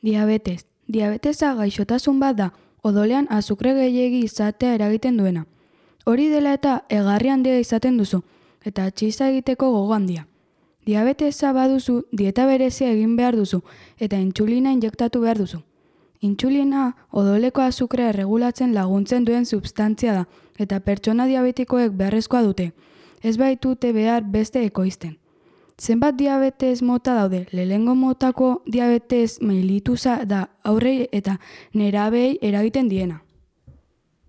Diabetes. Diabetesa gaixotasun bat da, odolean azukre gehiegi izatea eragiten duena. Hori dela eta egarri handia izaten duzu, eta txiza egiteko gogo handia. Diabetesa baduzu, dieta berezia egin behar duzu, eta intsulina injektatu behar duzu. Intsulina odoleko azukrea erregulatzen laguntzen duen substantzia da, eta pertsona diabetikoek beharrezkoa dute. Ez baitute behar beste ekoizten. Zenbat diabetes mota daude? Lehenengo motako diabetes mellitusa da aurrei eta nerabei eragiten diena.